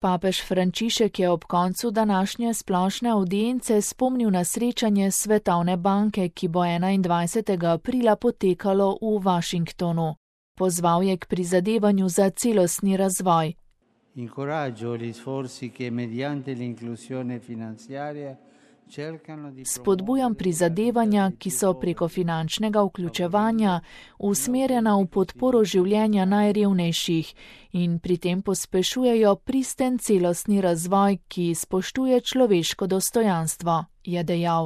Papež Frančišek je ob koncu današnje splošne avdience spomnil na srečanje Svetovne banke, ki bo 21. aprila potekalo v Washingtonu. Pozval je k prizadevanju za celostni razvoj. Spodbujam prizadevanja, ki so preko finančnega vključevanja usmerjena v podporo življenja najrevnejših in pri tem pospešujejo pristen celostni razvoj, ki spoštuje človeško dostojanstvo, je dejal.